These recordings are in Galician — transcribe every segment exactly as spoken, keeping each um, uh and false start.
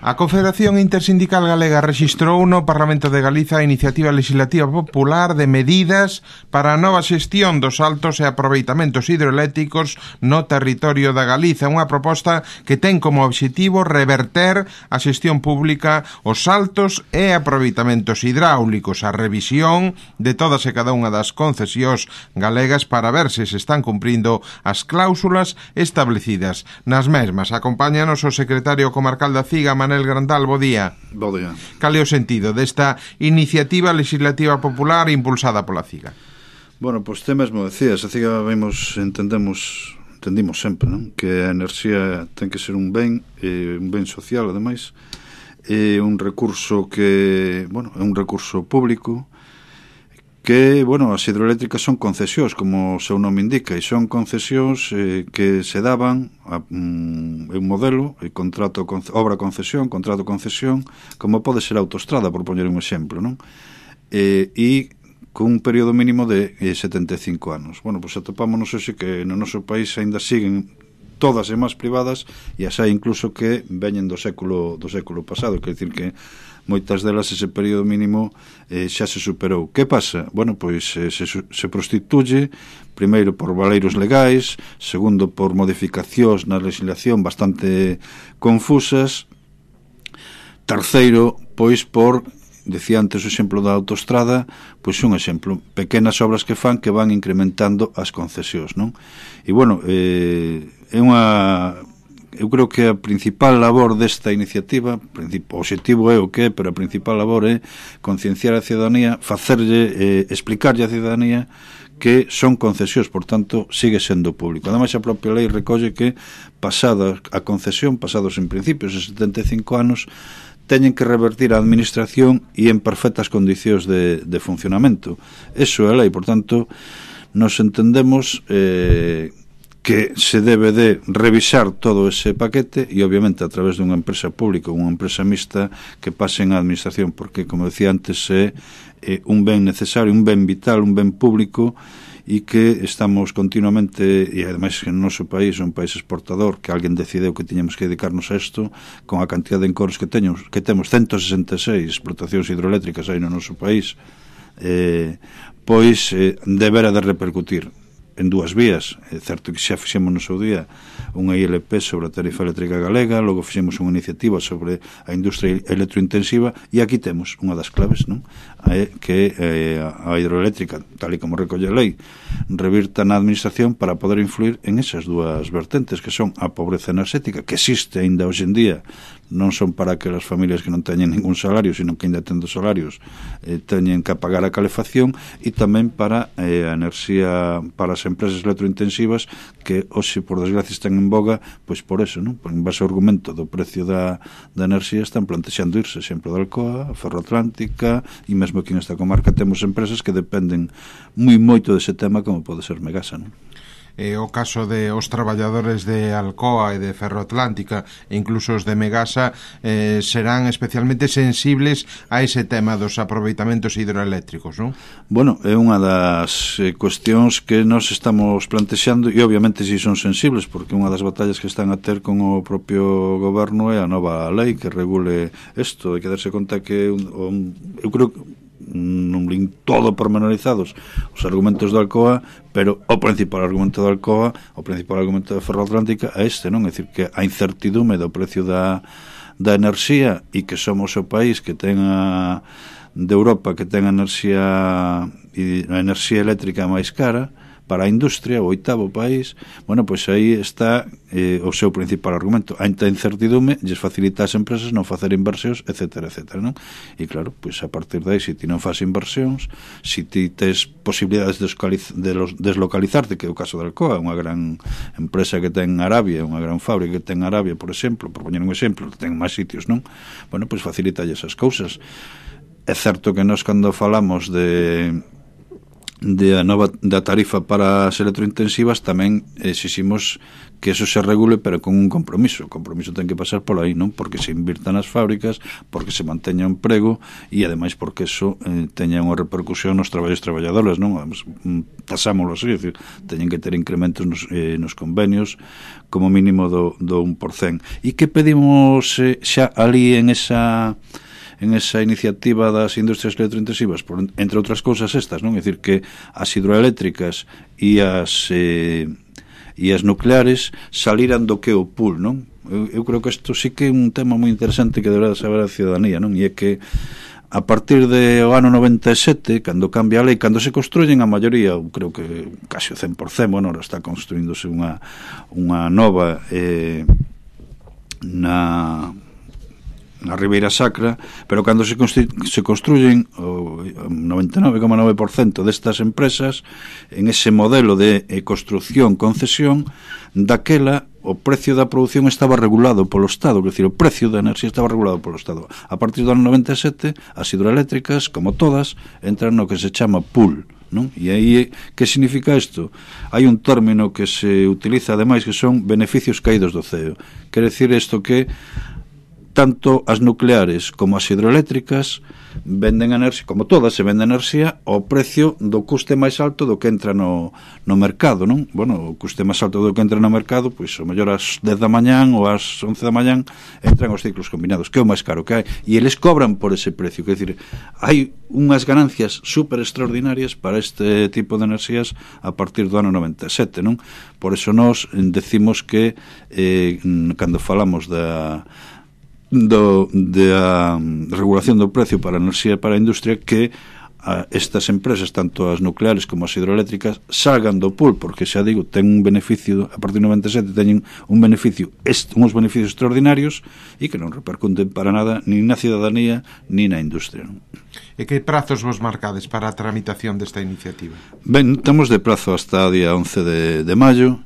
A Confederación Intersindical Galega rexistrou no Parlamento de Galiza a iniciativa legislativa popular de medidas para a nova xestión dos saltos e aproveitamentos hidroeléctricos no territorio da Galiza, unha proposta que ten como obxectivo reverter a xestión pública os saltos e aproveitamentos hidráulicos, a revisión de todas e cada unha das concesións galegas para ver se se están cumprindo as cláusulas establecidas nas mesmas. Acompáñanos o secretario comarcal da CIGA, Manel Grandal, bo día. Bo día. Cal é o sentido desta iniciativa legislativa popular impulsada pola CIGA? Bueno, pois te mesmo decías, a CIGA vemos, entendemos, entendimos sempre, non? Que a enerxía ten que ser un ben, eh, un ben social, ademais, é un recurso que, bueno, é un recurso público, que, bueno, as hidroeléctricas son concesións, como o seu nome indica, e son concesións eh, que se daban a um, un modelo, e contrato, obra concesión, contrato concesión, como pode ser a autoestrada, por poñer un exemplo, non? E, e con un período mínimo de eh, setenta e cinco anos. Bueno, pois atopámonos hoxe que no noso país aínda siguen todas e máis privadas, e as hai incluso que veñen do século do século pasado, quer dicir que moitas delas ese período mínimo eh, xa se superou. Que pasa? Bueno, pois eh, se, se prostituye primeiro por valeiros legais, segundo por modificacións na legislación bastante confusas, terceiro, pois por, decía antes o exemplo da autoestrada, pois un exemplo, pequenas obras que fan que van incrementando as concesións, non? E bueno, eh, é unha... Eu creo que a principal labor desta iniciativa, o objetivo é o que é, pero a principal labor é concienciar a ciudadanía, facerlle, eh, explicarlle a ciudadanía que son concesións, por tanto, sigue sendo público. Ademais, a propia lei recolle que, pasada a concesión, pasados en principio os setenta e cinco anos, teñen que revertir a administración e en perfectas condicións de, de funcionamento. Eso é a lei, por tanto, nos entendemos... Eh, que se debe de revisar todo ese paquete e obviamente a través dunha empresa pública, unha empresa mixta que pasen á administración, porque, como decía antes, é, é un ben necesario, un ben vital, un ben público, e que estamos continuamente, e ademais que no noso país é un país exportador, que alguén decideu que tiñamos que dedicarnos a isto, con a cantidad de encoros que teños, que temos ciento sesenta e seis explotacións hidroeléctricas aí no noso país, eh, pois eh, debera de repercutir en dúas vías. É certo que xa fixemos no seu día unha I L P sobre a tarifa eléctrica galega, logo fixemos unha iniciativa sobre a industria electrointensiva, e aquí temos unha das claves, non? É que eh, a hidroeléctrica, tal e como recolle a lei, revirta na administración para poder influir en esas dúas vertentes, que son a pobreza enerxética, que existe aínda hoxe en día, non son para aquelas familias que non teñen ningún salario, sino que ainda tendo salarios eh, teñen que pagar a calefacción, e tamén para eh, a enerxía, para as empresas electrointensivas que hoxe, por desgracia, están en boga, pois por eso, non? Por en base ao argumento do precio da, da enerxía, están plantexando irse, exemplo da Alcoa, a Ferroatlántica, e mesmo aquí nesta comarca temos empresas que dependen moi moito dese tema, como pode ser Megasa, non? Eh, o caso de os traballadores de Alcoa e de Ferroatlántica e incluso os de Megasa eh, serán especialmente sensibles a ese tema dos aproveitamentos hidroeléctricos, non? Bueno, é unha das eh, cuestións que nos estamos plantexando, e obviamente si son sensibles, porque unha das batallas que están a ter con o propio goberno é a nova lei que regule isto. Hai que darse conta que un, un, eu creo que non lin todo pormenorizados os argumentos da Alcoa, pero o principal argumento da Alcoa, o principal argumento da Ferroatlántica é este, non? É dicir, que a incertidume do precio da, da enerxía, e que somos o país que ten a, de Europa que ten a enerxía a enerxía eléctrica máis cara para a industria, o oitavo país. Bueno, pois aí está eh, o seu principal argumento. A incertidume lles facilita as empresas non facer inversións, etcétera, etcétera, non? E claro, pois a partir de aí, se ti non faz inversións, se ti tes posibilidades de, de los, deslocalizarte, que é o caso da Alcoa, unha gran empresa que ten Arabia, unha gran fábrica que ten Arabia, por exemplo, por poñer un exemplo, que ten máis sitios, non? Bueno, pois facilita esas cousas. É certo que nós, cando falamos de de a nova da tarifa para as electrointensivas tamén exiximos que eso se regule, pero con un compromiso. O compromiso ten que pasar por aí, non? Porque se invirta nas fábricas, porque se manteña o emprego e ademais porque eso eh, teña unha repercusión nos traballos traballadores, non? Tasámoslo así, é dicir, teñen que ter incrementos nos, eh, nos convenios como mínimo do, do un por cento. E que pedimos eh, xa ali en esa en esa iniciativa das industrias electrointensivas, por, entre outras cousas estas, non? É dicir, que as hidroeléctricas e as eh, e as nucleares saliran do que o pool, non? Eu, eu creo que isto sí que é un tema moi interesante que deberá saber a ciudadanía, non? E é que a partir do ano noventa e sete, cando cambia a lei, cando se construyen a maioría, eu creo que casi o cen por cento, bueno, ahora está construíndose unha, unha nova eh, na... na Ribeira Sacra, pero cando se, se construyen o noventa e nove coma nove por cento destas empresas en ese modelo de eh, construcción-concesión, daquela o precio da produción estaba regulado polo Estado, quer dizer, o precio da enerxía estaba regulado polo Estado. A partir do ano noventa e sete, as hidroeléctricas, como todas, entran no que se chama pool, non? E aí, que significa isto? Hai un término que se utiliza ademais que son beneficios caídos do ceo. Quer decir isto que tanto as nucleares como as hidroeléctricas venden enerxía, como todas se vende enerxía ao precio do custe máis alto do que entra no, no mercado, non? Bueno, o custe máis alto do que entra no mercado, pois o mellor ás dez da mañán ou ás once da mañán entran os ciclos combinados, que é o máis caro que hai, e eles cobran por ese precio, quer dizer, hai unhas ganancias super extraordinarias para este tipo de enerxías a partir do ano noventa e sete, non? Por eso nós decimos que eh, cando falamos da do, de a regulación do precio para a enerxía e para a industria, que a estas empresas, tanto as nucleares como as hidroeléctricas, salgan do pool, porque xa digo, ten un beneficio, a partir do noventa e sete teñen un beneficio, est, uns beneficios extraordinarios e que non repercuten para nada ni na ciudadanía ni na industria, non? E que prazos vos marcades para a tramitación desta iniciativa? Ben, temos de prazo hasta o día once de, de maio,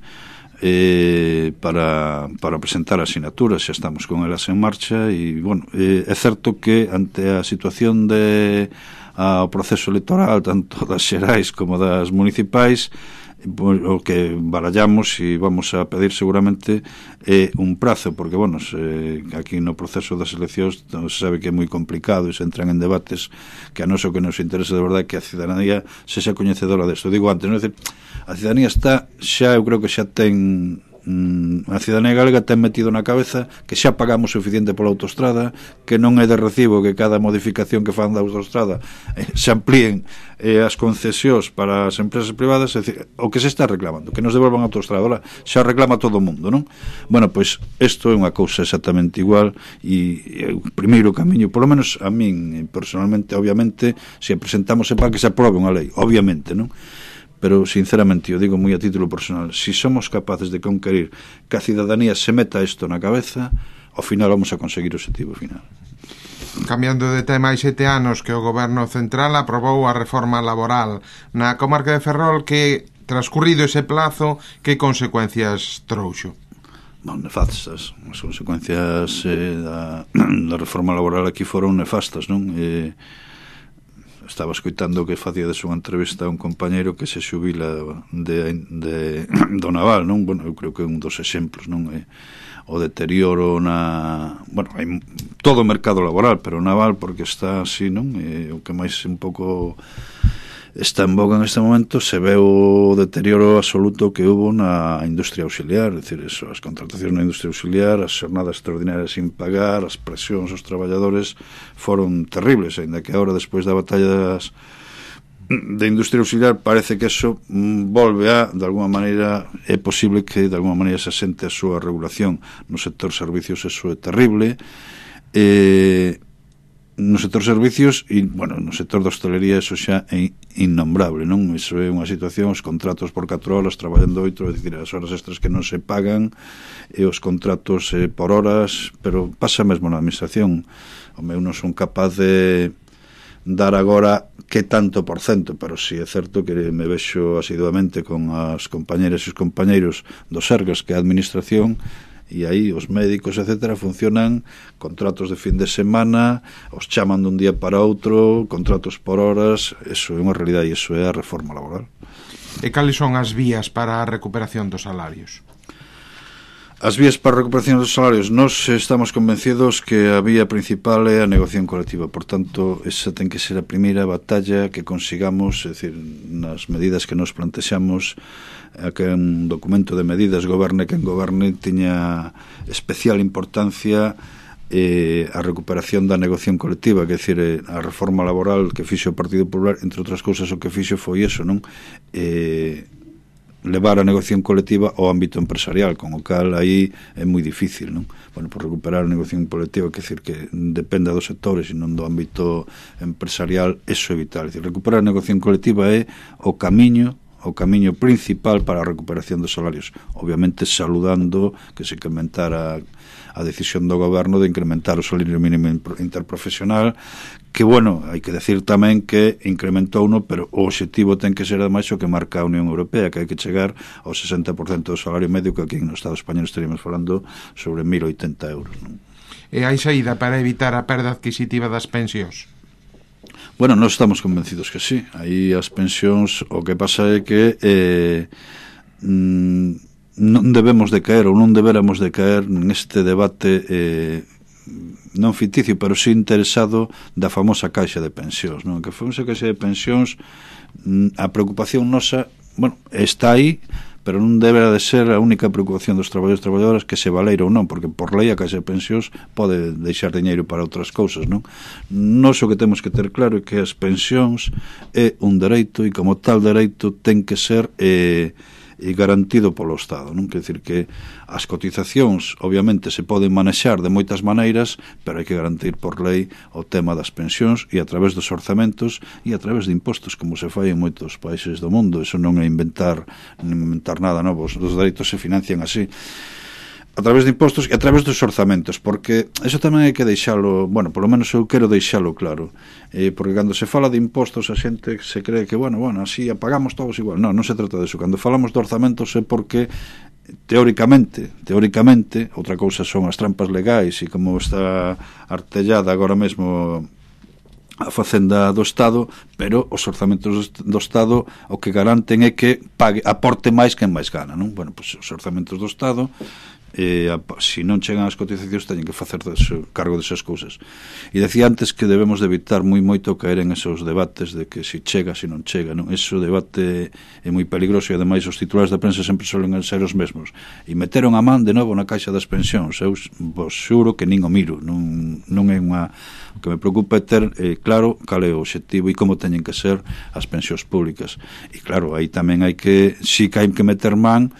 Eh, para, para presentar asinaturas, xa estamos con elas en marcha e, bueno, eh, é certo que ante a situación de ao proceso electoral, tanto das xerais como das municipais, o que barallamos e vamos a pedir seguramente é un prazo, porque, bueno, se, aquí no proceso das eleccións se sabe que é moi complicado e se entran en debates que a nos o que nos interesa de verdade que a ciudadanía se xa coñecedora desto. Digo antes, non? É dicir, a ciudadanía está xa, eu creo que xa ten a ciudadanía galega ten metido na cabeza que xa pagamos suficiente pola autostrada, que non é de recibo que cada modificación que fan da autostrada eh, se amplíen eh, as concesións para as empresas privadas, é dicir, o que se está reclamando, que nos devolvan a autostrada, ahora xa reclama todo o mundo, non? Bueno, pois isto é unha cousa exactamente igual e, e o primeiro camiño, polo menos a min personalmente, obviamente, se presentamos é para que se aprobe unha lei, obviamente, non? Pero, sinceramente, eu digo moi a título personal, si somos capaces de conquerir que a ciudadanía se meta isto na cabeza, ao final vamos a conseguir o objetivo final. Cambiando de tema, hai sete anos que o Goberno Central aprobou a reforma laboral na comarca de Ferrol, que, transcurrido ese plazo, que consecuencias trouxo? Bon, nefastas. As consecuencias eh, da, da reforma laboral aquí foron nefastas, non? Eh, estaba escoitando que facía unha entrevista a un compañeiro que se xubila de, de, do naval, non? Bueno, eu creo que é un dos exemplos, non? É o deterioro na... Bueno, hai todo o mercado laboral, pero o naval porque está así, non? É o que máis un pouco está en boga en este momento, se ve o deterioro absoluto que hubo na industria auxiliar, é dicir, eso, as contratacións na industria auxiliar, as xornadas extraordinarias sin pagar, as presións aos traballadores foron terribles, ainda que agora, despois da batalla das, de industria auxiliar, parece que eso volve a, de alguma maneira, é posible que de alguma maneira se asente a súa regulación. No sector servicios eso é terrible, e no sector servicios e, bueno, no sector da hostelería eso xa é innombrable, non? Iso é unha situación, os contratos por catro horas traballando oito, é dicir, as horas extras que non se pagan e os contratos eh, por horas, pero pasa mesmo na administración. O meu non son capaz de dar agora que tanto por cento, pero si sí é certo que me vexo asiduamente con as compañeras e os compañeiros dos Sergas, que é a administración, e aí os médicos, etcétera, funcionan contratos de fin de semana, os chaman dun día para outro, contratos por horas. Eso é unha realidade e iso é a reforma laboral. E cales son as vías para a recuperación dos salarios? As vías para a recuperación dos salarios, nós estamos convencidos que a vía principal é a negociación colectiva. Por tanto, esa ten que ser a primeira batalla que consigamos, é dicir, nas medidas que nos plantexamos, a que un documento de medidas, goberne quen goberne, tiña especial importancia eh, a recuperación da negociación colectiva, que é dicir, eh, a reforma laboral que fixo o Partido Popular, entre outras cousas, o que fixo foi eso, non? Eh... levar a negociación colectiva ao ámbito empresarial, con o cal aí é moi difícil, non? Bueno, por recuperar a negociación colectiva, que decir que dependa dos sectores e non do ámbito empresarial, eso é vital. É dicir, recuperar a negociación colectiva é o camiño o camiño principal para a recuperación dos salarios, obviamente saludando que se incrementara a decisión do goberno de incrementar o salario mínimo interprofesional, que, bueno, hai que decir tamén que incrementou uno, pero o obxectivo ten que ser ademais o que marca a Unión Europea, que hai que chegar ao sesenta por cento do salario medio, que aquí no Estado español estaríamos falando sobre mil e oitenta euros, non? E hai saída para evitar a perda adquisitiva das pensións? Bueno, nós estamos convencidos que sí. Aí as pensións, o que pasa é que eh, non debemos de caer ou non deberamos de caer neste debate eh, non ficticio, pero sí interesado da famosa caixa de pensións, non? Que a famosa caixa de pensións, a preocupación nosa, bueno, está aí, pero non deberá de ser a única preocupación dos traballadores e traballadoras que se valeira ou non, porque por lei a caixa de pensións pode deixar diñeiro para outras cousas, non? Nós o que temos que ter claro é que as pensións é un dereito e como tal dereito ten que ser eh, e garantido polo Estado, non? Quer dicir que as cotizacións obviamente se poden manexar de moitas maneiras, pero hai que garantir por lei o tema das pensións e a través dos orzamentos e a través de impostos, como se fai en moitos países do mundo. Eso non é inventar inventar nada novo, os dereitos se financian así, a través de impostos e a través dos orzamentos, porque eso tamén hai que deixalo, bueno, polo menos eu quero deixalo claro, eh, porque cando se fala de impostos a xente se cree que, bueno, bueno, así apagamos todos igual. Non, non se trata disso. Cando falamos de orzamentos é porque teóricamente, teóricamente, outra cousa son as trampas legais e como está artellada agora mesmo a facenda do Estado, pero os orzamentos do Estado o que garanten é que pague, aporte máis quen máis gana, non? Bueno, pois os orzamentos do Estado, eh, se non chegan as cotizacións teñen que facer deso, cargo desas cousas. E decía antes que debemos de evitar moi moito caer en esos debates de que se chega, se non chega, non? Eso debate é moi peligroso e ademais os titulares da prensa sempre solen ser os mesmos. E meteron a man de novo na caixa das pensións. Eu vos xuro que nin o miro, non, non é unha... O que me preocupa é ter eh, claro cal é o obxectivo e como teñen que ser as pensións públicas. E claro, aí tamén hai que, si que hai que meter man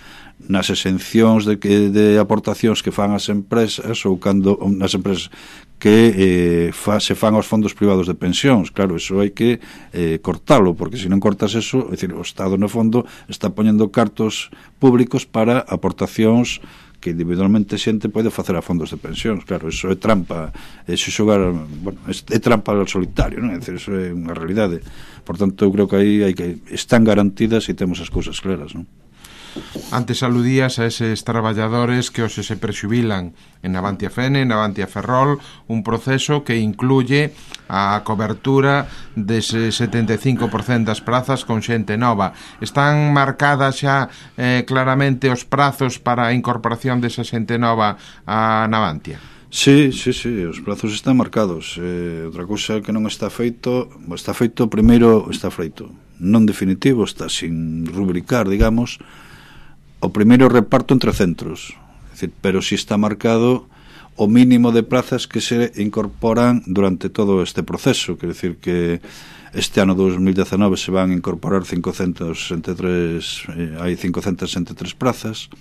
nas exencións de, que, de aportacións que fan as empresas ou cando nas empresas que eh, fa, se fan aos fondos privados de pensións. Claro, eso hai que eh, cortalo, porque se non cortas eso, é dicir, o Estado no fondo está poñendo cartos públicos para aportacións que individualmente xente pode facer a fondos de pensións. Claro, eso é trampa, é xogar, bueno, é trampa ao solitario, non? É dicir, eso é unha realidade. Por tanto, eu creo que aí hai que están garantidas e temos as cousas claras, non? Antes aludías a eses traballadores que hoxe se prexubilan en Navantia Fene, en Navantia Ferrol, un proceso que incluye a cobertura dese setenta e cinco por cento das prazas con xente nova. Están marcadas xa eh, claramente os prazos para a incorporación desa xente nova a Navantia? Sí, sí, sí, os prazos están marcados. Eh, outra cousa que non está feito, está feito primeiro, está feito non definitivo, está sin rubricar, digamos, o primeiro reparto entre centros, é dicir, pero si está marcado o mínimo de plazas que se incorporan durante todo este proceso, quer decir que este ano dos mil dezenove se van a incorporar cincocentas sesenta e tres, eh, hai cincocentas sesenta e tres plazas,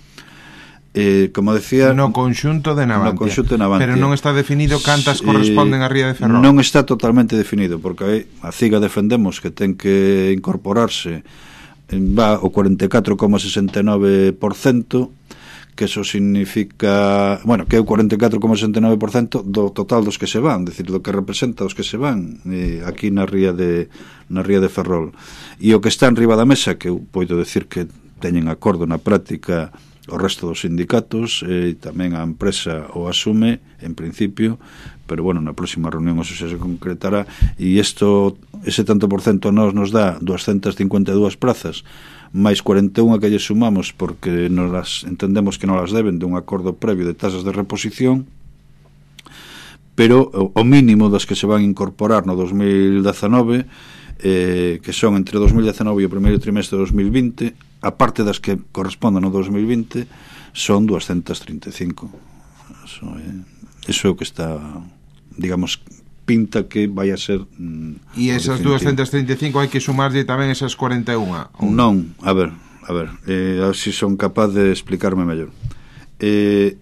eh, como decía, no conxunto de Navantia, no conxunto de Navantia, pero non está definido cantas corresponden a Ría de Ferrol. Non está totalmente definido, porque a CIGA defendemos que ten que incorporarse va o cuarenta e catro coma sesenta e nove por cento, que eso significa, bueno, que é o cuarenta e catro coma sesenta e nove por cento do total dos que se van, decir, do que representa os que se van eh, aquí na ría de na ría de Ferrol. E o que está en riba da mesa, que eu podo decir que teñen acordo na práctica o resto dos sindicatos, e tamén a empresa o asume, en principio, pero bueno, na próxima reunión eso xa se concretará, e isto, ese tanto por cento nos nos dá doscientas cincuenta e dúas plazas, máis cuarenta e unha que lle sumamos porque nos las entendemos que non las deben de un acordo previo de tasas de reposición, pero o mínimo das que se van a incorporar no dos mil dezanove, eh, que son entre dos mil dezanove e o primeiro trimestre de dos mil vinte, a parte das que corresponden ao dos mil vinte, son doscientas trinta e cinco. Eso é, eso é o que está, digamos, pinta que vai a ser mm, e esas doscientas trinta e cinco hai que sumarlle tamén esas cuarenta e unha? Non, a ver, a ver eh, a ver se son capaz de explicarme mellor. Eh,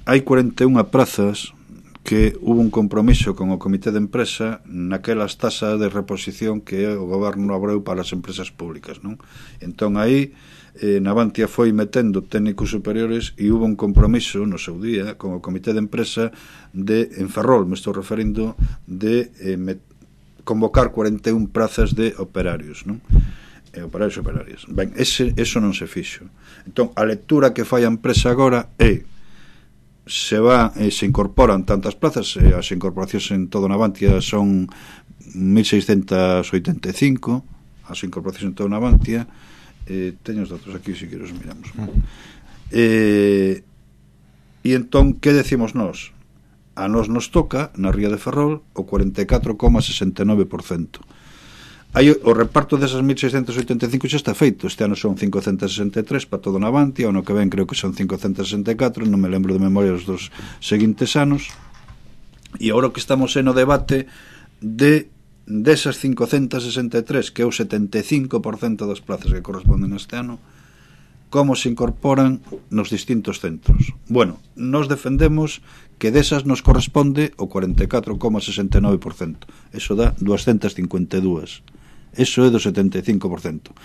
hai cuarenta e unha prazas que hubo un compromiso con o Comité de Empresa naquelas tasas de reposición que o goberno abreu para as empresas públicas, non? Entón aí eh, Navantia foi metendo técnicos superiores e hubo un compromiso no seu día con o Comité de Empresa de, en Ferrol me estou referindo, de eh, met, convocar cuarenta e unha prazas de operarios, non? Eh, operarios e operarias. Ben, ese, eso non se fixo. Entón, a lectura que fai a empresa agora é se va, eh, se incorporan tantas plazas, eh, as incorporacións en todo Navantia son mil seiscentas oitenta e cinco, as incorporacións en todo Navantia, eh, teño os datos aquí se queres miramos. Eh, e entón, que decimos nós? A nós nos toca, na Ría de Ferrol, o cuarenta e catro coma sesenta e nove por cento. Aí o reparto desas mil seiscentas oitenta e cinco xa está feito. Este ano son cincocentas sesenta e tres para todo Navantia, o ano que ven creo que son cincocentas sesenta e catro, non me lembro de memoria os dos seguintes anos. E agora que estamos en o debate de desas cincocentas sesenta e tres, que é o setenta e cinco por cento das plazas que corresponden este ano, como se incorporan nos distintos centros. Bueno, nos defendemos que desas nos corresponde o cuarenta e catro coma sesenta e nove por cento. Eso dá doscientas cincuenta e dúas. Eso é do setenta e cinco por cento.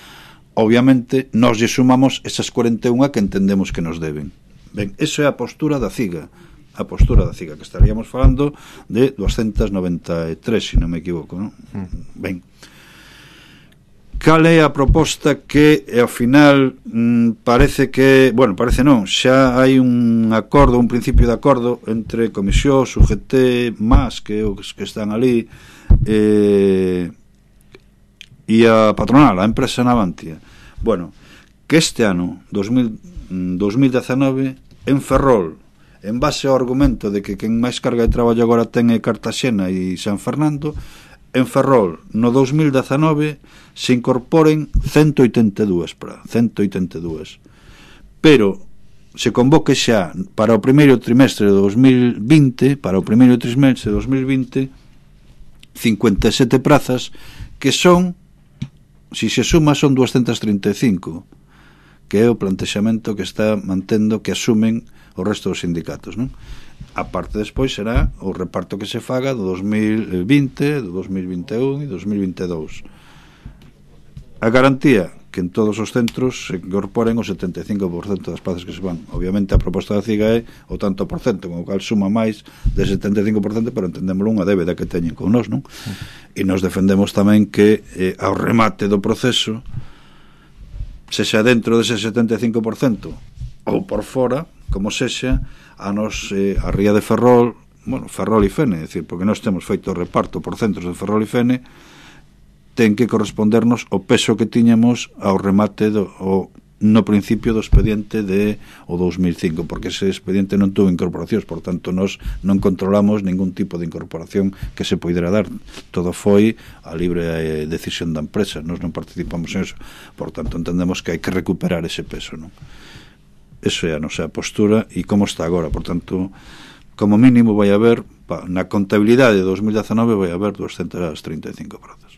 Obviamente, nós lle sumamos esas cuarenta e unha que entendemos que nos deben. Ben, eso é a postura da CIGA. A postura da CIGA, que estaríamos falando de doscientas noventa e tres, se non me equivoco, non? Ben. Cal é a proposta que, ao final, mmm, parece que... Bueno, parece non, xa hai un acordo, un principio de acordo entre Comisión, U G T, MAS, que, que están ali, eh... e a patronal, a empresa Navantia. Bueno, que este ano, dos mil dezanove, en Ferrol, en base ao argumento de que quen máis carga de traballo agora ten é Cartaxena e San Fernando, en Ferrol, no dos mil dezanove, se incorporen ciento oitenta e dúas para ciento oitenta e dúas. Pero se convoque xa para o primeiro trimestre de dos mil vinte, para o primeiro trimestre de dos mil vinte, cincuenta e sete prazas que son, si se suma, son doscientas trinta e cinco, que é o plantexamento que está mantendo que asumen o resto dos sindicatos, non? A parte despois será o reparto que se faga do dos mil vinte, do dos mil vinte e un e dos mil vinte e dous. A garantía que en todos os centros se incorporen o setenta e cinco por cento das plazas que se van. Obviamente a proposta da CIGA é o tanto por cento, con o cal suma máis de setenta e cinco por cento, pero entendémoslo unha débeda que teñen con nós, non? E nos defendemos tamén que eh, ao remate do proceso, se xa dentro dese setenta e cinco por cento ou por fora, como sexa, a nos, eh, a Ría de Ferrol, bueno, Ferrol e Fene, é dicir, porque nós temos feito o reparto por centros de Ferrol e Fene, ten que correspondernos o peso que tiñamos ao remate do, o, no principio do expediente de o dos mil cinco, porque ese expediente non tuvo incorporacións, por tanto nós non controlamos ningún tipo de incorporación que se poidera dar, todo foi a libre eh, decisión da empresa, nós non participamos en eso, por tanto entendemos que hai que recuperar ese peso, non? Eso é a nosa postura e como está agora, por tanto, como mínimo vai haber, pa, na contabilidade de dos mil dezanove vai haber doscientas trinta e cinco prazas.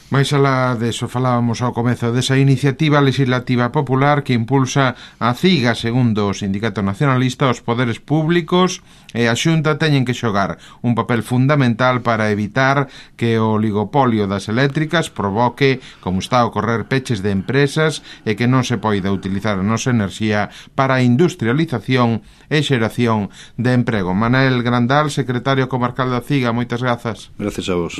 Mais alá deso falábamos ao comezo desa iniciativa legislativa popular que impulsa a CIGA, segundo o Sindicato Nacionalista, os poderes públicos e a Xunta teñen que xogar un papel fundamental para evitar que o oligopolio das eléctricas provoque, como está a ocorrer, peches de empresas e que non se poida utilizar a nosa enerxía para a industrialización e xeración de emprego. Manel Grandal, secretario comarcal da CIGA, moitas grazas. Gracias a vos.